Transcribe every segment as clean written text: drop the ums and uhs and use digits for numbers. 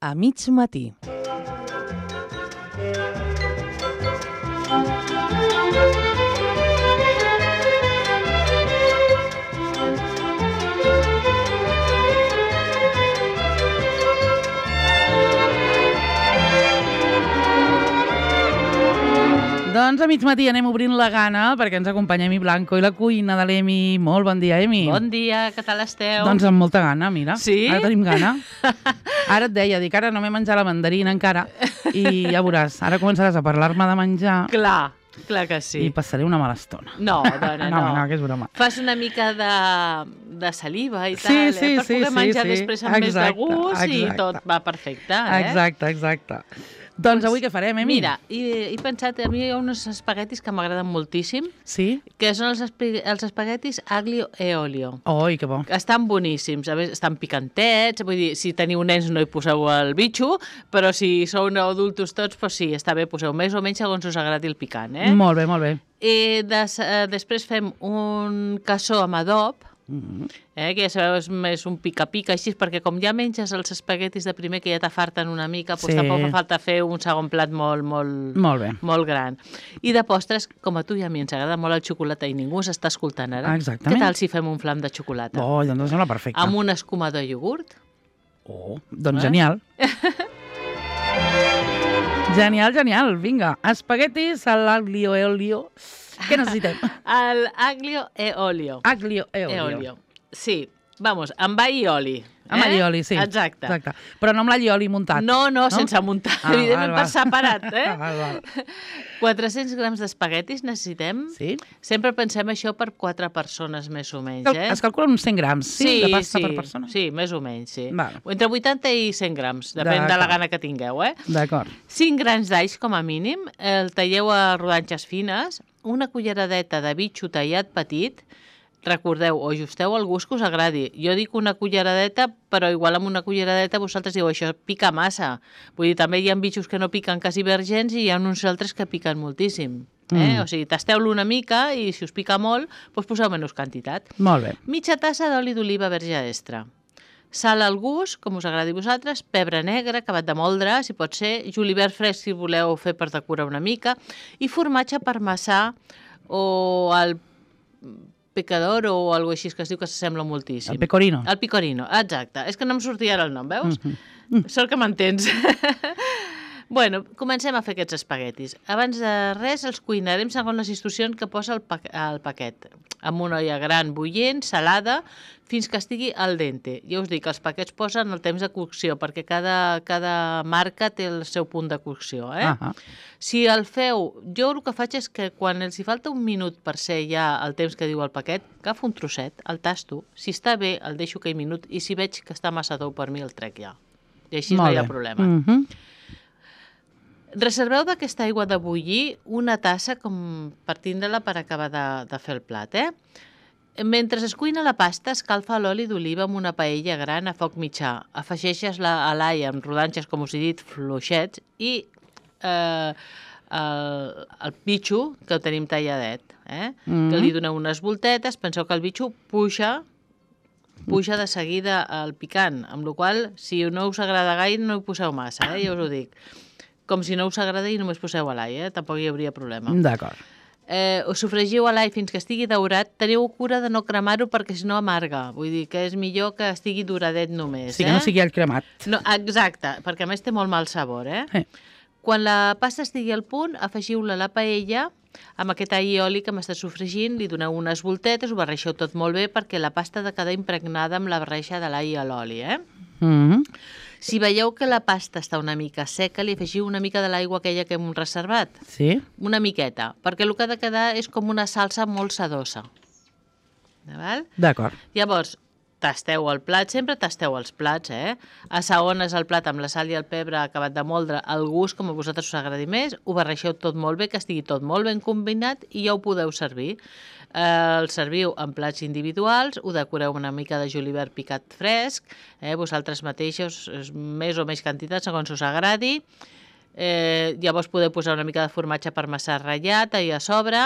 a mig matí. Doncs a mig matí anem obrint la gana perquè ens acompanya Emi Blanco i la cuina de l'Emi. Molt bon dia, Emi. Bon dia, què tal esteu? Doncs amb molta gana, mira. Sí? Ara tenim gana. Ara et deia, dic, ara no m'he menjat la mandarina encara i ja veuràs, ara començaràs a parlar-me de menjar. Clar que sí. I passaré una mala estona. No, dona, no. No, que és broma. Fas una mica de saliva i tal, sí, per poder menjar després amb més de gust i tot va perfecte, Exacte. Doncs avui què farem, Emi? Mira, he pensat, a mi hi ha uns espaguetis que m'agraden moltíssim, sí? Que són els espaguetis aglio e olio. Oi, que bo. Estan boníssims, a més, estan picantets, vull dir, si teniu nens no hi poseu el bitxo, però si sou adultos tots, doncs sí, està bé, poseu més o menys segons us agradi el picant, eh? Molt bé, molt bé. I després fem un cassó amb adob, que ja sabeu, és més un pica-pica així, perquè com ja menges els espaguetis de primer que ja t'afarten una mica, doncs tampoc fa falta fer un segon plat molt gran. I de postres, com a tu i a mi ens agrada molt el xocolata i ningú s'està escoltant ara, exactament. Què tal si fem un flam de xocolata? Oh, doncs sembla perfecte. Amb un escumador iogurt? Oh, doncs genial. Genial, vinga. Espaguetis a l'aglio e olio. Què necessitem? El aglio e olio. Aglio e olio. Sí, vamos, amb all i oli. Amb all i oli, sí. Exacte. Però no amb l'all i oli muntat. No, sense muntar, evidentment per separat, Val. 400 grams d'espaguetis necessitem. Sí. Sempre pensem això per 4 persones, més o menys, Es calculen uns 100 grams, de pasta per persona? Sí, més o menys, sí. Val. Entre 80 i 100 grams, depèn de la gana que tingueu, D'acord. 5 grans d'alls, com a mínim, el talleu a rodanxes fines, una culleradeta de bitxo tallat petit. Recordeu, o ajusteu el gust que us agradi. Jo dic una culleradeta, però igual amb una culleradeta vosaltres diu això pica massa. Vull dir, també hi ha bitxos que no piquen quasi vergens i hi ha uns altres que piquen moltíssim. O sigui, tasteu-lo una mica i si us pica molt, doncs poseu menys quantitat. Molt bé. Mitja tassa d'oli d'oliva verge extra. Sal al gust, com us agradi a vosaltres, pebre negre, acabat de moldre, si pot ser, julivert fresc si voleu fer per decorar una mica, i formatge parmesà o el pecador o alguna així que es diu que s'assembla moltíssim. El pecorino. El pecorino, exacte. És que no em sortia ara el nom, veus? Sort que m'entens. Bueno, comencem a fer aquests espaguetis. Abans de res els cuinarem segons les instruccions que posa el paquet. Amb una olla gran bullent, salada, fins que estigui al dente. Ja us dic, els paquets posen el temps de cocció, perquè cada marca té el seu punt de cocció. Si el feu, jo el que faig és que quan els hi falta un minut per ser ja el temps que diu el paquet, agafo un trosset, el tasto, si està bé el deixo aquell minut i si veig que està massa tou per mi el trec ja. I així no hi ha problema. Reserveu d'aquesta aigua de bullir una tassa com per tindre-la per acabar de fer el plat. Mentre es cuina la pasta, escalfa l'oli d'oliva amb una paella gran a foc mitjà. Afegeixes a l'all amb rodanxes, com us he dit, fluixets, i el bitxo, que el tenim talladet. Que li doneu unes voltetes, penseu que el bitxo puja de seguida al picant, amb la qual cosa, si no us agrada gaire, no hi poseu massa, ja us ho dic. Com si no us agrada i només poseu a l'all, tampoc hi hauria problema. D'acord. Us sofregiu a l'all fins que estigui daurat. Teniu cura de no cremar-ho perquè si no amarga. Vull dir que és millor que estigui doradet només. Sí, que no sigui el cremat. No, exacte, perquè a més té molt mal sabor. Quan la pasta estigui al punt, afegiu-la a la paella amb aquest all i oli que m'està sofregint, li doneu unes voltetes, ho barreixeu tot molt bé perquè la pasta ha de quedar impregnada amb la barreja de l'all i l'oli. Si veieu que la pasta està una mica seca, li afegiu una mica de l'aigua aquella que hem reservat. Sí. Una miqueta, perquè el que ha de quedar és com una salsa molt sedosa. D'acord. Llavors, tasteu el plat, sempre tasteu els plats, assaones el plat amb la sal i el pebre acabat de moldre al gust, com a vosaltres us agradi més, ho barreixeu tot molt bé, que estigui tot molt ben combinat i ja ho podeu servir. El serviu en plats individuals, ho decoreu una mica de julivert picat fresc, vosaltres mateixos, més o menys quantitat, segons us agradi. Llavors podeu posar una mica de formatge parmesà ratllat a sobre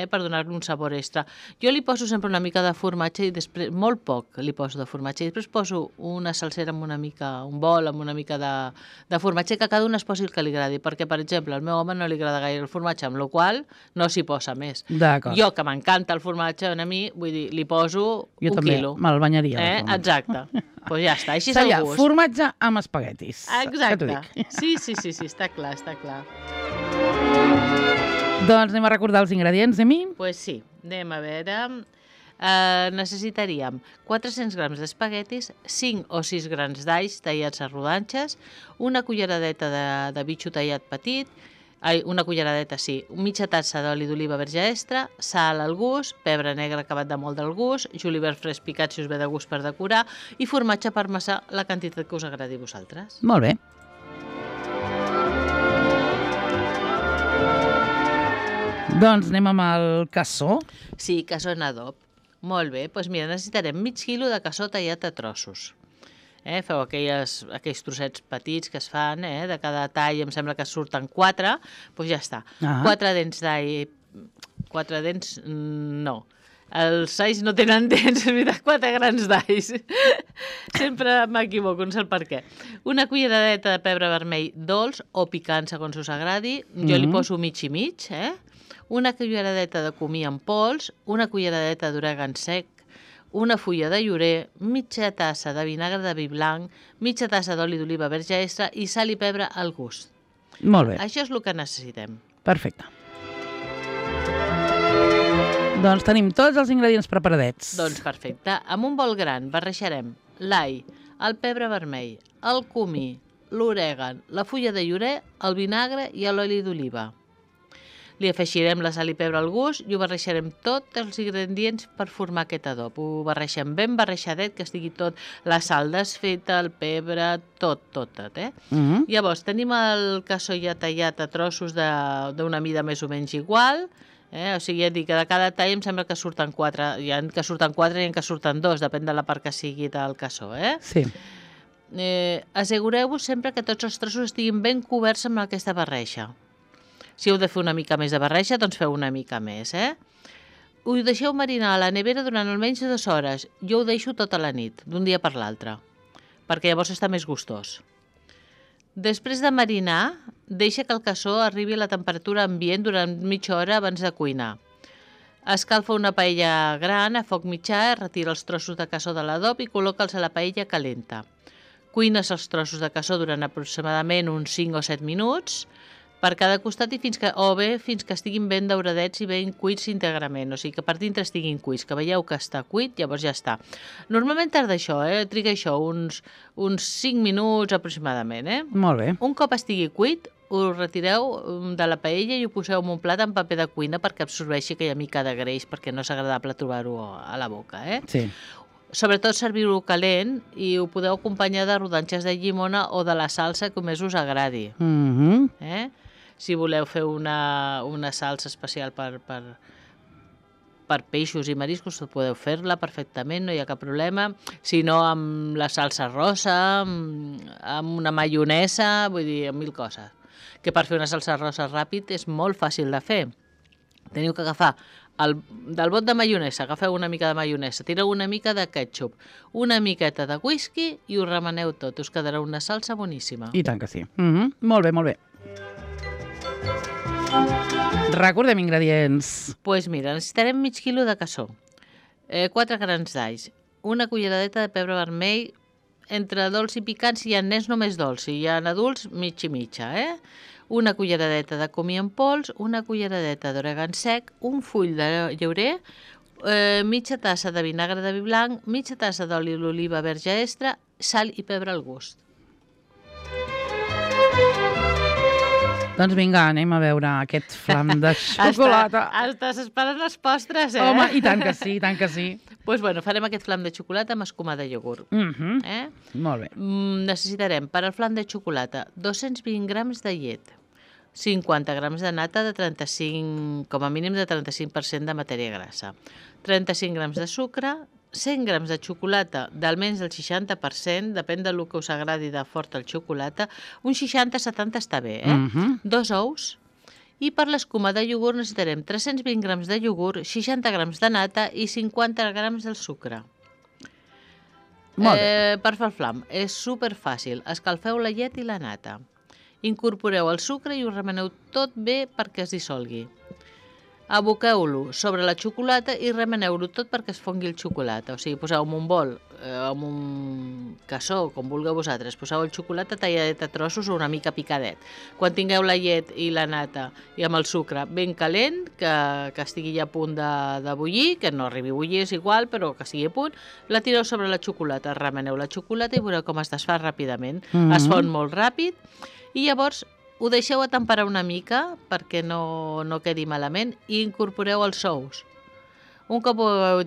per donar-li un sabor extra. Jo li poso sempre una mica de formatge i després, molt poc li poso de formatge, i després poso una salsera amb una mica, un bol amb una mica de formatge, que cada un es posi el que li agradi, perquè, per exemple, al meu home no li agrada gaire el formatge, amb la qual no s'hi posa més. Jo, que m'encanta el formatge, a mi, vull dir, li poso jo un també, quilo. Me'l banyaria. Exacte. Doncs ja està, així és el gust. Formatge amb espaguetis. Exacte. Sí, està clar, està clar. Doncs anem a recordar els ingredients, Emi? Doncs sí, anem a veure. Necessitaríem 400 grams d'espaguetis, 5 o 6 grans d'alls tallats a rodanxes, una culleradeta de bitxo tallat petit, una culleradeta, sí, mitja tassa d'oli d'oliva verge extra, sal al gust, pebre negre acabat de molt del gust, julivert fresc picat si us ve de gust per decorar i formatge parmesà, la quantitat que us agradi a vosaltres. Molt bé. Doncs anem amb el cassó. Sí, cassó en adob. Molt bé, doncs mira, necessitarem mig quilo de cassó tallat a trossos. Feu aquells trossets petits que es fan, de cada tall, em sembla que surten 4, doncs ja està. 4 dents d'all, 4 dents, no. Els alls no tenen dents, és veritat, 4 grans d'alls. Sempre m'equivoco, no sé el per què. Una culleradeta de pebre vermell dolç o picant, segons us agradi. Jo li poso mig i mig, Una culleradeta de comí en pols, una culleradeta d'orègan sec, una fulla de llorer, mitja tassa de vinagre de vi blanc, mitja tassa d'oli d'oliva verge extra i sal i pebre al gust. Molt bé. Això és el que necessitem. Perfecte. Doncs tenim tots els ingredients preparadets. Doncs perfecte. Amb un bol gran barrejarem l'all, el pebre vermell, el comí, l'orègan, la fulla de llorer, el vinagre i l'oli d'oliva. Li afegirem la sal i pebre al gust i ho barrejarem tots els ingredients per formar aquest adob. Ho barregem ben barrejadet, que estigui tot, la sal desfeta, el pebre, tot. Llavors, tenim el cassó ja tallat a trossos d'una mida més o menys igual. O sigui, ja dic que de cada tall em sembla que surten 4. Hi ha que surten 4 i hi ha que surten 2, depèn de la part que sigui del cassó, Sí. Assegureu-vos sempre que tots els trossos estiguin ben coberts amb aquesta barreja. Si heu de fer una mica més de barreja, doncs feu una mica més, Ho deixeu marinar a la nevera durant almenys 2 hores. Jo ho deixo tota la nit, d'un dia per l'altre, perquè llavors està més gustós. Després de marinar, deixa que el cassó arribi a la temperatura ambient durant mitja hora abans de cuinar. Escalfa una paella gran a foc mitjà, retira els trossos de cassó de l'adob i col·loca'ls a la paella calenta. Cuines els trossos de cassó durant aproximadament uns 5 o 7 minuts, per cada costat i fins que estiguin ben dauradets i ben cuits íntegrament, o sigui que per dintre estiguin cuits, que veieu que està cuit, llavors ja està. Normalment tarda això, triga això, uns 5 minuts aproximadament, Molt bé. Un cop estigui cuit, ho retireu de la paella i ho poseu en un plat amb paper de cuina perquè absorbeixi aquella mica de greix, perquè no és agradable trobar-ho a la boca, Sí. Sobretot serviu-ho calent i ho podeu acompanyar de rodanxes de llimona o de la salsa que més us agradi. Si voleu fer una salsa especial per peixos i mariscos, podeu fer-la perfectament, no hi ha cap problema. Si no, amb la salsa rosa, amb una maionesa, vull dir, amb 1000 coses. Que per fer una salsa rosa ràpid és molt fàcil de fer. Teniu que agafar del bot de maionesa, agafeu una mica de maionesa, tireu una mica de ketchup, una miqueta de whisky i ho remeneu tot. Us quedarà una salsa boníssima. I tant que sí. Molt bé, molt bé. Recordem ingredients. Doncs mira, necessitarem mig quilo de cassó, 4 grans d'alls, una culleradeta de pebre vermell, entre dolç i picant, si hi ha nens només dolç, si hi ha adults, mig i mitja, una culleradeta de comí en pols, una culleradeta d'orègan sec, un full de llaurer, mitja tassa de vinagre de vi blanc, mitja tassa d'oli d'oliva verge extra, sal i pebre al gust. Doncs vinga, anem a veure aquest flam de xocolata. Estàs esperant els postres, Home, i tant que sí, i tant que sí. Doncs bueno, farem aquest flam de xocolata amb escuma de iogurt. Molt bé. Necessitarem per al flam de xocolata 220 grams de llet, 50 grams de nata de 35, com a mínim de 35% de matèria grassa, 35 grams de sucre, 100 grams de xocolata d'almenys el 60%, depèn del que us agradi de fort el xocolata, un 60-70 està bé, 2 ous, i per l'escuma de iogurt necessitarem 320 grams de iogurt, 60 grams de nata i 50 grams del sucre. Molt bé. Per fer el flam, és superfàcil. Escalfeu la llet i la nata. Incorporeu el sucre i ho remeneu tot bé perquè es dissolgui. Aboqueu-lo sobre la xocolata i remeneu-lo tot perquè es fongui el xocolata. O sigui, poseu en un bol, en un cassó, com vulgueu vosaltres, poseu el xocolata talladet a trossos o una mica picadet. Quan tingueu la llet i la nata i amb el sucre ben calent, que estigui ja a punt de bullir, que no arribi a bullir, és igual, però que estigui a punt, la tireu sobre la xocolata, remeneu la xocolata i veureu com es desfà ràpidament. Es fon molt ràpid i llavors ho deixeu a temperar una mica perquè no quedi malament i incorporeu els ous. Un cop ho heu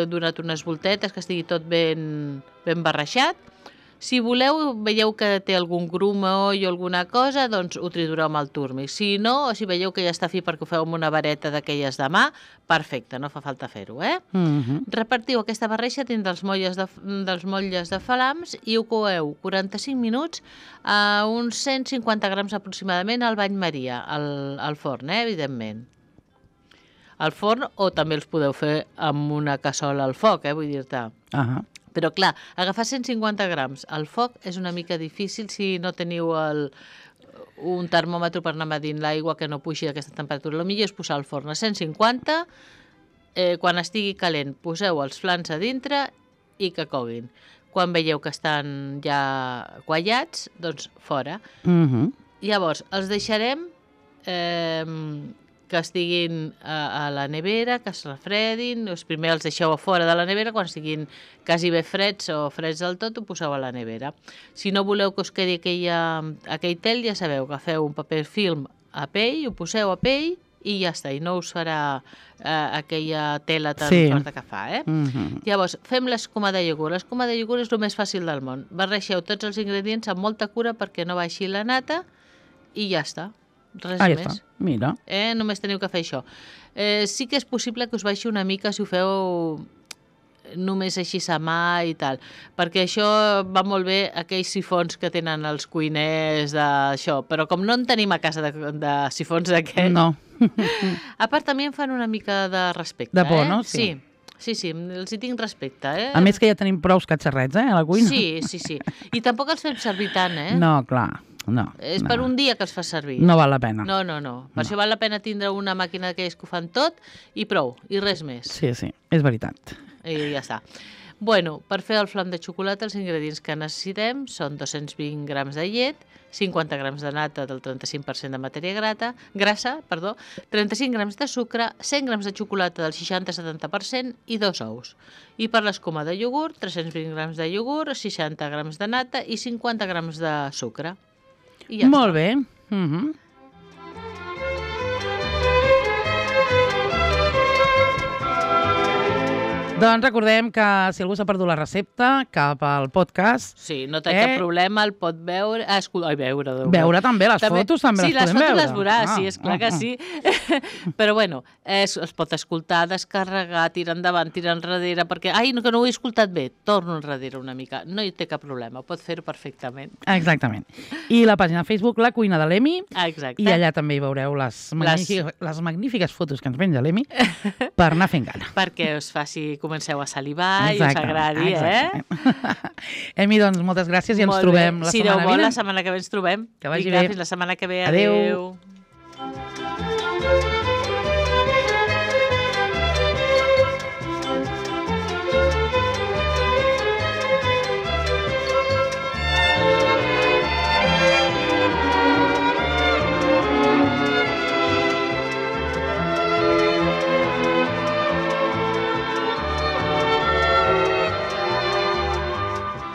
donat unes voltetes, que estigui tot ben barrejat, si voleu, veieu que té algun grumo o alguna cosa, doncs ho tritureu amb el túrmic. Si no, o si veieu que ja està fi perquè ho feu amb una vareta d'aquelles de mà, perfecte, no fa falta fer-ho, Repartiu aquesta barreja dins dels motlles de falams i ho coeu 45 minuts a uns 150 grams aproximadament al bany maria, al forn, evidentment. Al forn, o també els podeu fer amb una cassola al foc, vull dir-te. Però clar, agafar 150 grams al foc és una mica difícil si no teniu un termòmetre per anar medint l'aigua que no pugi a aquesta temperatura. El millor és posar al forn a 150, quan estigui calent poseu els flans a dintre i que coguin. Quan veieu que estan ja quallats, doncs fora. Llavors, els deixarem que estiguin a la nevera, que es refredin. Primer els deixeu a fora de la nevera, quan estiguin quasi bé freds o freds del tot, ho poseu a la nevera. Si no voleu que us quedi aquell tel, ja sabeu, agafeu un paper film a pell, ho poseu a pell i ja està, i no us farà aquella tela tan forta que fa. Llavors, fem l'escuma de iogurt. L'escuma de iogurt és el més fàcil del món. Barregeu tots els ingredients amb molta cura perquè no baixi la nata i ja està. Res més. Està. Mira. Només teniu que fer això. Sí que és possible que us baixi una mica si ho feu només així a mà i tal, perquè això va molt bé aquells sifons que tenen els cuiners d'això, però com no en tenim a casa de sifons d'aquests... No. A part, també em fan una mica de respecte. De por, no? Sí, els hi tinc respecte. A més que ja tenim prou catxarrets, a la cuina. Sí. I tampoc els fem servir tant, No, clar. No, és per un dia que els fa servir. No val la pena. No. Per això val la pena tindre una màquina d'aquelles que ho fan tot i prou, i res més. Sí, és veritat. I ja està. Bueno, per fer el flam de xocolata els ingredients que necessitem són 220 grams de llet, 50 grams de nata del 35% de matèria grassa, 35 grams de sucre, 100 grams de xocolata del 60-70% i 2 ous. I per l'escuma de iogurt, 320 grams de iogurt, 60 grams de nata i 50 grams de sucre. I ja Molt bé. Doncs recordem que si algú s'ha perdut la recepta, cap al podcast. Sí, no té cap problema, el pot veure... Veure també, les fotos també les podem veure. Sí, les fotos les veurà, sí, esclar que sí. Però bueno, es pot escoltar, descarregar, tirar endavant, tirar enrere, perquè, que no ho he escoltat bé, torno enrere una mica. No hi té cap problema, pot fer-ho perfectament. Exactament. I la pàgina Facebook, La Cuina de l'Emi. Exacte. I allà també hi veureu les magnífiques fotos que ens penja l'Emi per anar fent gana. Perquè us faci comenceu a salivar i us agradi, Emi, doncs, moltes gràcies i ens trobem la setmana vinent. Si Déu vol, la setmana que ve ens trobem. Que vagi bé. Fins la setmana que ve. Adéu. Adéu.